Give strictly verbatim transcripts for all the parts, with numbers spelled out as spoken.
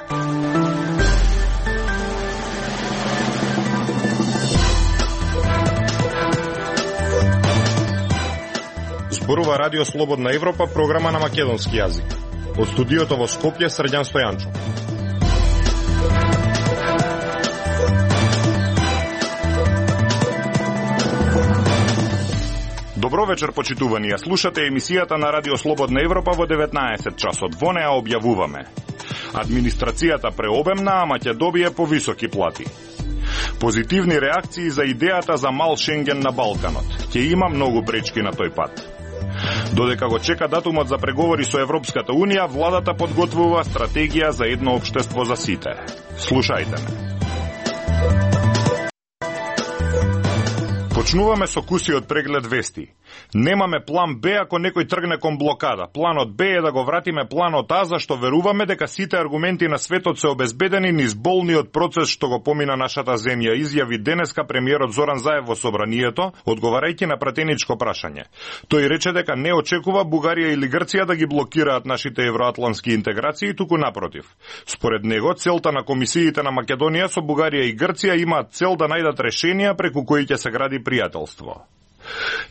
Зборува Радио Слободна Европа, програма на македонски јазик. Од студиото во Скопје, Срđan Стојанчо. Добро вечер, почитувани. Ја слушате емисијата на Радио Слободна Европа во деветнаесет часот. Во неа објавуваме: администрацијата преобемна, ама ќе добие повисоки плати. Позитивни реакции за идејата за мал Шенген на Балканот. Ќе има многу пречки на тој пат. Додека го чека датумот за преговори со Европската Унија, владата подготвува стратегија за едно општество за сите. Слушајте ме. Почнуваме со кусиот преглед вести. Немаме план Б ако некој тргне кон блокада. Планот Б е да го вратиме планот А, зашто веруваме дека сите аргументи на светот се обезбедени низ болниот процес што го помина нашата земја, изјави денеска премиерот Зоран Заев во собранието, одговарајќи на пратеничко прашање. Тој рече дека не очекува Бугарија или Грција да ги блокираат нашите евроатлански интеграции, туку напротив. Според него, целта на комисиите на Македонија со Бугарија и Грција имаат цел да најдат решенија преку кои ќе се гради пријателство.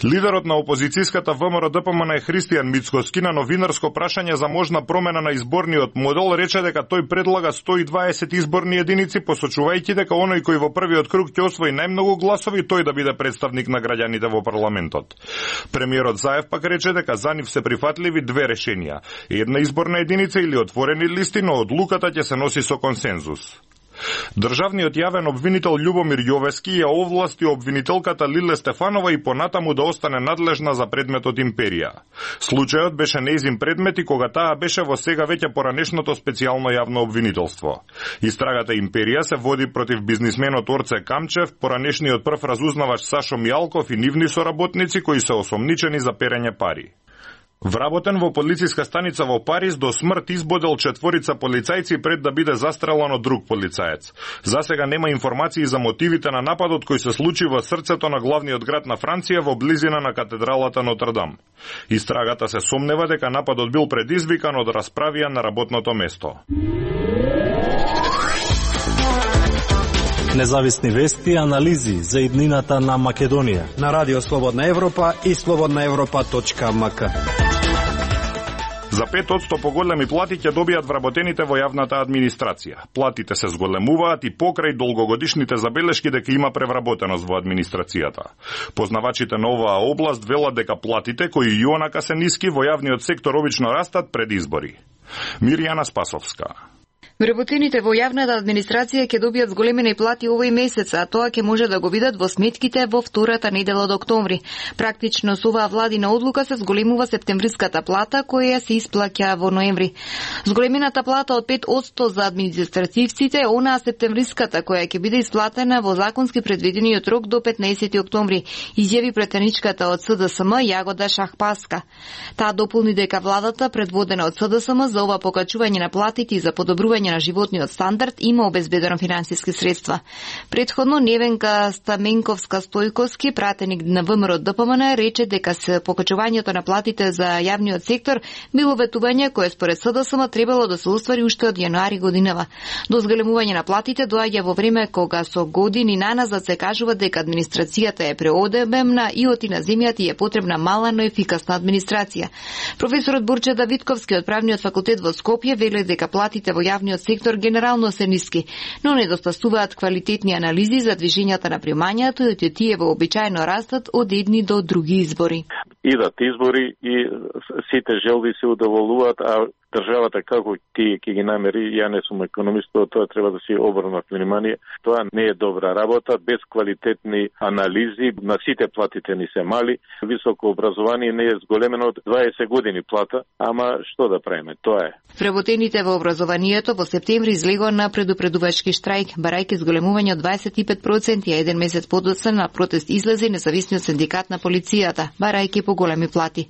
Лидерот на опозицијската ВМРО Д П М Н Христијан Мицкоски на новинарско прашање за можна промена на изборниот модел рече дека тој предлага сто и дваесет изборни единици, посочувајќи дека оној кој во првиот круг ќе освои најмногу гласови, тој да биде представник на граѓаните во парламентот. Премиерот Заев пак рече дека за нив се прифатливи две решенија: една изборна единица или отворени листи, но одлуката ќе се носи со консензус. Државниот јавен обвинител Љубомир Јовески ја овласти обвинителката Лиле Стефанова и понатаму да остане надлежна за предметот Империја. Случајот беше нејзин предмет и кога таа беше во сега веќе поранешното специјално јавно обвинителство. Истрагата Империја се води против бизнисменот Орце Камчев, поранешниот прв разузнавач Сашо Мијалков и нивни соработници кои се осомничени за перење пари. Вработен во полициска станица во Париз, до смрт избодел четворица полицајци пред да биде застрелан од друг полицаец. За сега нема информации за мотивите на нападот кој се случи во срцето на главниот град на Франција во близина на катедралата Нотр-Дам. Истрагата се сомнева дека нападот бил предизвикан од расправија на работното место. Независни вести и анализи за иднината на Македонија на Радио Слободна Европа и слободна европа точка ем ка. За пет одсто поголеми плати ќе добијат вработените во јавната администрација. Платите се зголемуваат и покрај долгогодишните забелешки дека има превработеност во администрацијата. Познавачите на оваа област велат дека платите, кои и онака се ниски, во јавниот сектор обично растат пред избори. Мирјана Спасовска. Вработените во јавната администрација ќе добијат зголемени плати овој месец, а тоа ќе може да го видат во сметките во втората недела од октомври. Практично со оваа владина одлука се зголемува септемвриската плата која се исплаќа во ноември. Зголемената плата од пет одсто за административците е онаа септемвриската која ќе биде исплатена во законски предвидениот рок до петнаесети октомври, изјави претеничката од С Д С М Јагода Шахпаска. Таа дополни дека владата предводена од С Д С М за ова покачување на платите и за подобрување на животниот стандард има обезбедено финансиски средства. Предходно Невенка Стаменковска Стојковски, пратеник на В М R Д П М Н, рече дека се покачувањето на платите за јавниот сектор било ветување кое според С Д С М требало да се оствари уште од јануари годинава. До зголемување на платите доаѓа во време кога со години наназад се кажува дека администрацијата е преобемна и оти на земјата и е потребна мала, но ефикасна администрација. Професорот Бурче Давидковски од Правниот факултет во Скопје вели дека платите во јавниот сектор генерално се ниски, но недостасуваат квалитетни анализи за движењата на примањето и тие вообичаено растат од едни до други избори. Идат избори и сите желби се удоволуваат, а државата како ти ќе ги намери, ја не сум економист, тоа треба да си обрнат внимание. Тоа не е добра работа, без квалитетни анализи, на сите платите ни се мали, високо образование не е зголемено од дваесет години плата, ама што да правиме, тоа е. Вработените во образованието во септември излегоа на предупредувачки штрајк, барајќи зголемување од дваесет и пет проценти, а еден месец подоцна на протест излезе независниот синдикат на полицијата, барајќи поголеми плати.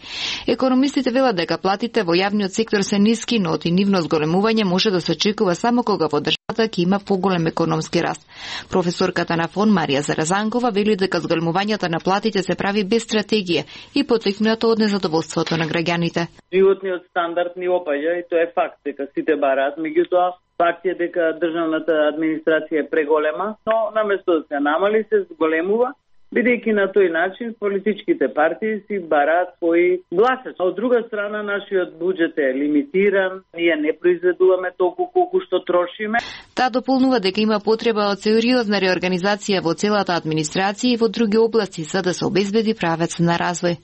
Економистите велат дека платите во јавниот сектор се ниски, но оти нивно зголемување може да се очекува само кога во државата ќе има поголем економски раст. Професорката на ФОН Марија Заразанкова вели дека зголемувањето на платите се прави без стратегија и потикнато од незадоволството на граѓаните. Животниот стандард ни опаѓа и тоа е факт дека сите бараат, меѓутоа Факт е дека државната администрација е преголема, но наместо да се намали, се зголемува, бидејќи на тој начин политичките партии си бараат своји гласачи. Од друга страна, нашиот буџет е лимитиран, ние не произведуваме толку колку што трошиме. Таа дополнува дека има потреба од сериозна реорганизација во целата администрација и во други области за да се обезбеди правец на развој.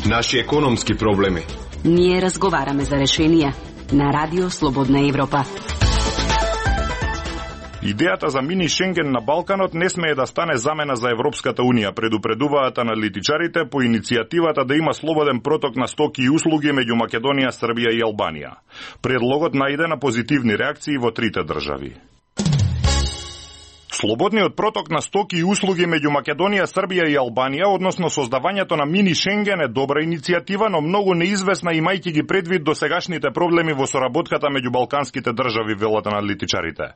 Наши економски проблеми. Ние разговараме за решенија на Радио Слободна Европа. Идејата за мини Шенген на Балканот не смее да стане замена за Европската Унија, предупредуваат аналитичарите по иницијативата да има слободен проток на стоки и услуги меѓу Македонија, Србија и Албанија. Предлогот најде на позитивни реакции во трите држави. Слободниот проток на стоки и услуги меѓу Македонија, Србија и Албанија, односно создавањето на мини Шенген, е добра иницијатива, но многу неизвестна имајќи ги предвид досегашните проблеми во соработката меѓу балканските држави, велат аналитичарите.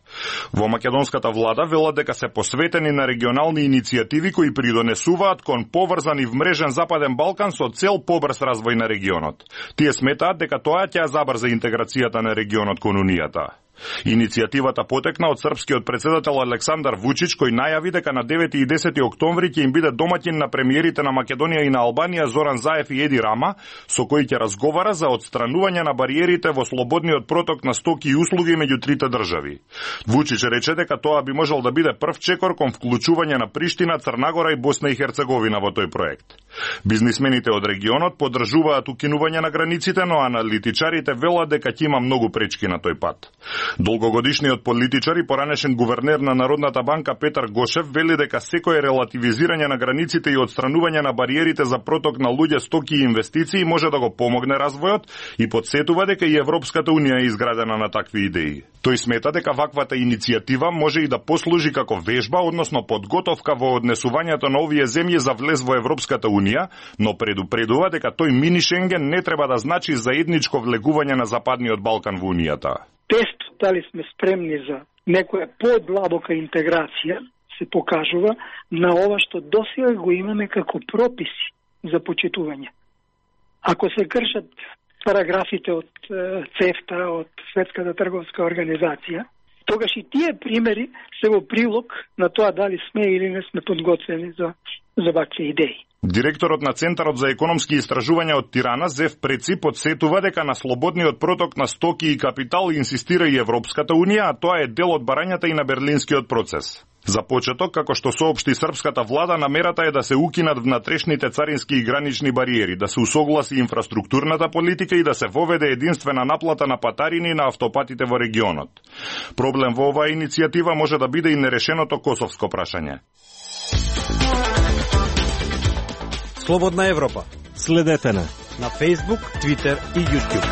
Во македонската влада велат дека се посветени на регионални иницијативи кои придонесуваат кон поврзан и вмрежен Западен Балкан со цел побрз развој на регионот. Тие сметаат дека тоа ќе забрза интеграцијата на регионот кон Унијата. Иницијативата потекна од српскиот председател Александар Вучич, кој најави дека на девети и десети октомври ќе им биде домаќин на премиерите на Македонија и на Албанија Зоран Заев и Еди Рама, со кој ќе разговара за отстранување на бариерите во слободниот проток на стоки и услуги меѓу трите држави. Вучич рече дека тоа би можел да биде прв чекор кон вклучување на Приштина, Црнагора и Босна и Херцеговина во тој проект. Бизнисмените од регионот поддржуваат укинување на границите, но аналитичарите велат дека ќе има многу пречки на тој пат. Долгогодишниот политичар и поранешен гувернер на Народната банка Петар Гошев вели дека секое релативизирање на границите и отстранување на бариерите за проток на луѓе, стоки и инвестиции може да го помогне развојот и потсетува дека и Европската Унија е изградена на такви идеи. Тој смета дека ваквата иницијатива може и да послужи како вежба, односно подготовка во однесувањето на овие земји за влез во Европската Унија, но предупредува дека тој мини Шенген не треба да значи заедничко влегување на Западниот Балкан во Унијата. Тестот дали сме спремни за некоја подлабока интеграција се покажува на ова што досега го имаме како прописи за почитување. Ако се кршат параграфите од ЦЕФТА, од Светската трговска организација, тогаш и тие примери се во прилог на тоа дали сме или не сме подготвени за, за вакви идеи. Директорот на Центарот за економски истражувања од Тирана, Зев Преци, подсетува дека на слободниот проток на стоки и капитал инсистира и Европската Унија, а тоа е дел од барањата и на Берлинскиот процес. За почеток, како што соопшти српската влада, намерата е да се укинат внатрешните царински и гранични бариери, да се усогласи инфраструктурната политика и да се воведе единствена наплата на патарини на автопатите во регионот. Проблем во оваа иницијатива може да биде и нерешеното косовско прашање. Слободна Европа. Следете на на Facebook, Twitter и YouTube.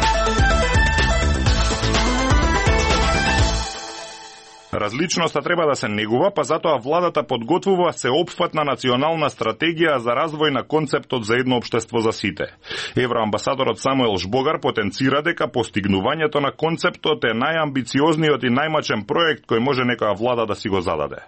Различноста треба да се негува, па затоа владата подготвува сеопфатна национална стратегија за развој на концептот за едно општество за сите. Евроамбасадорот Самуел Жбогар потенцира дека постигнувањето на концептот е најамбициозниот и најмачен проект кој може некоја влада да си го зададе.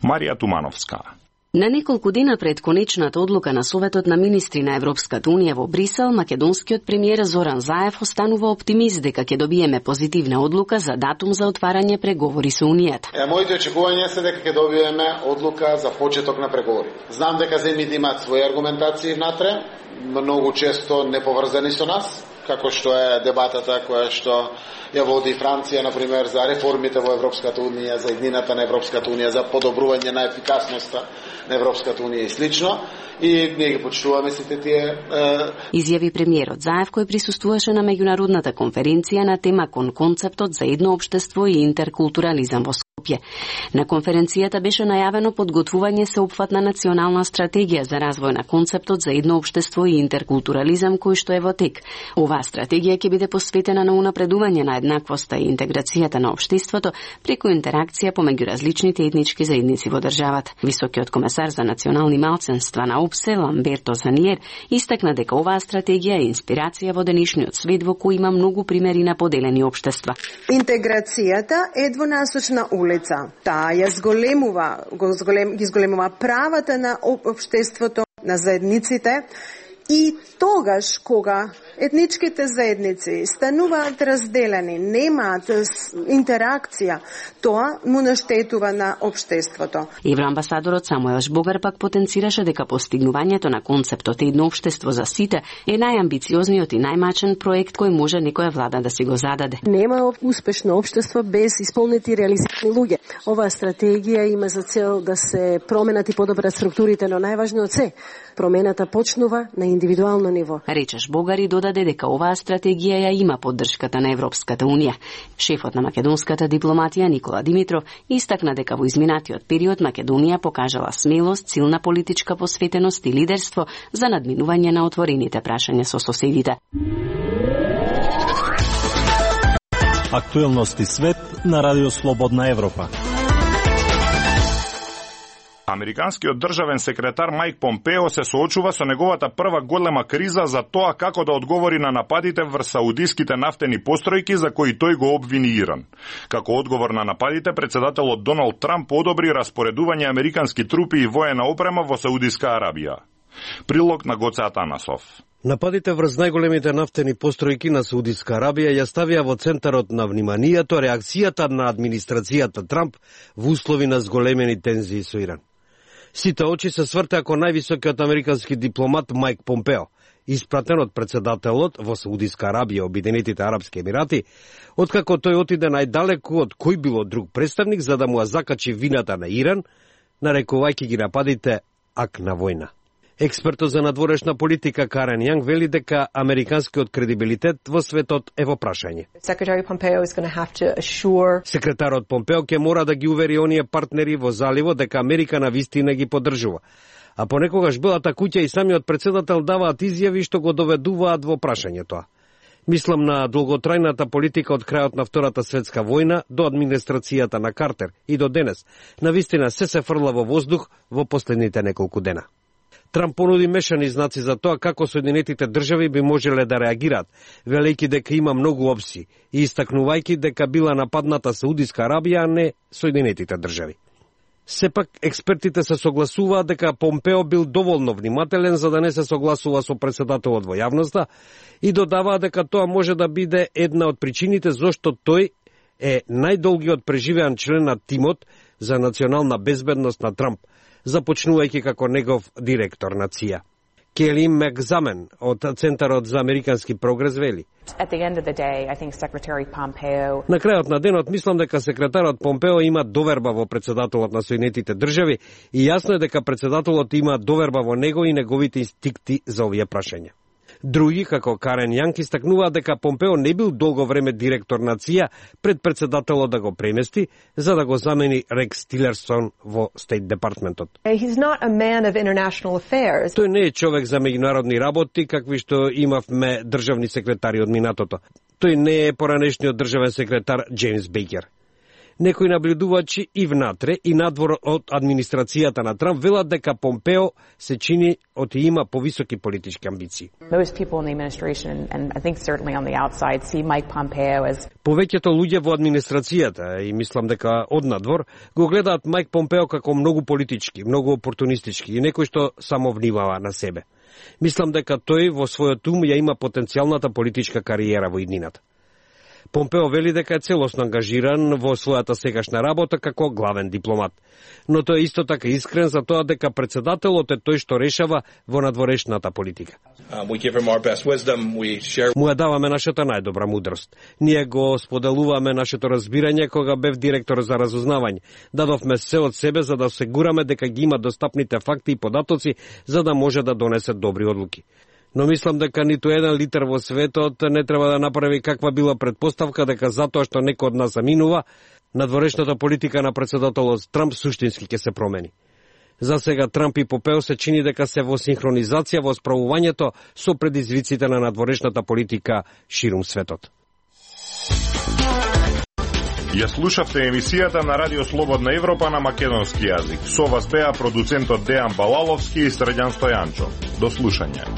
Марија Тумановска. На неколку дена пред конечната одлука на Советот на министри на Европската Унија во Брисел, македонскиот премиер Зоран Заев останува оптимист дека ќе добиеме позитивна одлука за датум за отварање преговори со Унијата. Е, моите очекувања се дека ќе добиеме одлука за почеток на преговори. Знам дека земјите имаат своји аргументации внатре, многу често неповрзани со нас, како што е дебатата која што ја води Франција, например, за реформите во Европската Унија, за еднината на Европската Унија, за подобрување на ефикасноста на Европската Унија и слично. И ние ги почитуваме сите тие... Е... Изјави премиерот Заев, кој присуствуваше на меѓународната конференција на тема кон концептот за едно општество и интеркултурализам во Скопје. На конференцијата беше најавено подготвување сеопфатна национална стратегија за развој на концептот за едно општество и интеркултурализам кој што е во тек. Оваа стратегија ќе биде посветена на унапредување на еднаквоста и интеграцијата на општеството преку интеракција помеѓу различните етнички заедници во државата. Високиот комесар за национални малцинства на ОПСЕ Ламберто Заниер истакна дека оваа стратегија е инспирација во денешниот свет во кој има многу примери на поделени општества. Интеграцијата е двонасочна улица. Таа ја зголемува, го зголем, ги зголемува правата на општеството, на заедниците И тогаш кога етничките заедници стануваат разделени, немаат интеракција, тоа му наштетува на општеството. Евроамбасадорот Самуел Жбогар пак потенцираше дека постигнувањето на концептот едно општество за сите е најамбициозниот и најмачен проект кој може некоја влада да си го зададе. Нема успешно општество без исполнети реалистични луѓе. Оваа стратегија има за цел да се променат и подобрат структурите, но најважно од се, промената почнува на индивидуално ниво. Рече Жбогар и додаде дека оваа стратегија ја има поддршката на Европската унија. Шефот на македонската дипломатија Никола Димитров истакна дека во изминатиот период Македонија покажала смелост, силна политичка посветеност и лидерство за надминување на отворените прашања со соседите. Актуелности свет на Радио Слободна Европа. Американскиот државен секретар Мајк Помпео се соочува со неговата прва голема криза за тоа како да одговори на нападите врз саудиските нафтени постројки за кои тој го обвини Иран. Како одговор на нападите, председателот Доналд Трамп одобри распоредување американски трупи и воена опрема во Саудиска Арабија. Прилог на Гоце Атанасов. Нападите врз најголемите нафтени постројки на Саудиска Арабија ја ставија во центарот на вниманието реакцијата на администрацијата Трамп во услови на зголемени тензии со Иран. Сите очи се свртеа кон највисокиот американски дипломат Мајк Помпео, испратен од председателот во Саудиска Арабија, Обединетите арапски емирати, откако тој отиде најдалеку од кој било друг представник за да му ја закачи вината на Иран, нарекувајќи ги нападите ак на војна. Експертот за надворешна политика Карен Јанг вели дека американскиот кредибилитет во светот е во прашање. Секретарот Помпео ќе мора да ги увери оние партнери во заливот дека Америка навистина ги поддржува. А понекогаш Белата куќа и самиот председател даваат изјави што го доведуваат во прашање тоа. Мислам на долготрајната политика од крајот на Втората светска војна до администрацијата на Картер и до денес. Навистина се се фрла во воздух во последните неколку дена. Трамп понуди мешани знаци за тоа како Соединетите држави би можеле да реагираат, велејќи дека има многу опции и истакнувајќи дека била нападната Саудиска Арабија, а не Соединетите држави. Сепак, експертите се согласуваат дека Помпео бил доволно внимателен за да не се согласува со председателот во јавноста и додаваа дека тоа може да биде една од причините зошто тој е најдолгиот преживеан член на тимот за национална безбедност на Трамп, започнувајќи како негов директор на ЦИА. Кели Мекзамен од Центарот за американски прогрес вели: На крајот на денот мислам дека секретарот Помпео има доверба во председателот на Соединетите држави и јасно е дека председателот има доверба во него и неговите инстинкти за овие прашања. Други, како Карен Јанг, истакнуваат дека Помпео не бил долго време директор на ЦИА пред председателот да го премести, за да го замени Рекс Тилерсон во Стейт департментот. Тој не е човек за меѓународни работи, какви што имавме државни секретари од минатото. Тој не е поранешниот државен секретар Джеймс Бейкер. Некои наблюдувачи и внатре и надвор од администрацијата на Трамп велат дека Помпео се чини од и има повисоки политички амбиции. Повеќето луѓе во администрацијата и мислам дека од надвор го гледаат Мајк Помпео како многу политички, многу опортунистички и некој што само внимава на себе. Мислам дека тој во својот ум ја има потенцијалната политичка кариера во иднината. Помпео вели дека е целосно ангажиран во својата сегашна работа како главен дипломат, но тој е исто така искрен за тоа дека председателот е тој што решава во надворешната политика. Му ја даваме нашата најдобра мудрост. Ние го споделуваме нашето разбирање кога бев директор за разузнавање. Дадовме се од себе за да осигураме дека ги има достапните факти и податоци за да може да донесе добри одлуки. Но мислам дека ниту еден литер во светот не треба да направи каква била предпоставка дека затоа што некој од нас заминува, надворешната политика на председателот Трамп суштински ќе се промени. За сега Трамп и Помпео се чини дека се во синхронизација во справувањето со предизвиците на надворешната политика ширум светот. Ја слушавте емисијата на Радио Слободна Европа на македонски јазик. Со вас беа продуцентот Дејан Балаловски и Срđan Стојанчо. До слушање.